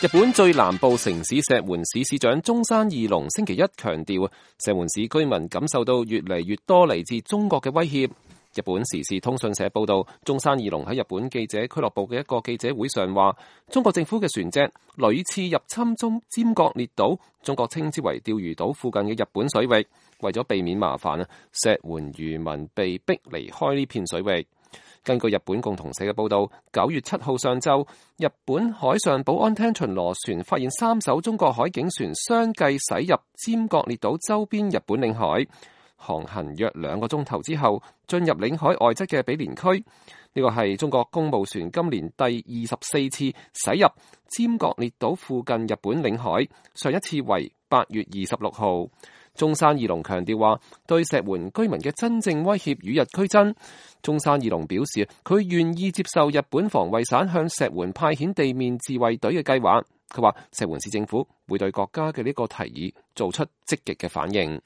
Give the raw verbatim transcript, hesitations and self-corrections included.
日本最南部城市石垣市市長中山義隆星期一強調，石垣市居民感受到越嚟越多嚟自中國嘅威脅。日本時事通訊社報道，中山義隆喺日本記者俱樂部嘅一個記者會上話，中國政府嘅船隻屢次入侵中尖閣列島，中國稱之為釣魚島附近嘅日本水域，為咗避免麻煩，石垣漁民被逼離開呢片水域。根據日本共同社嘅報道，九月七號上晝，日本海上保安廳巡邏船發現三艘中國海警船相繼駛入尖閣列島周邊日本領海，航行約兩個鐘頭之後，進入領海外側嘅比連區。呢個係中國公務船今年第二十四次駛入尖閣列島附近日本領海，上一次為八月二十六號。中山義隆強調話，對石垣居民嘅真正威脅與日俱增。中山義隆表示，佢願意接受日本防衛省向石垣派遣地面自衛隊嘅計劃。佢話石垣市政府會對國家嘅呢個提議做出積極嘅反應。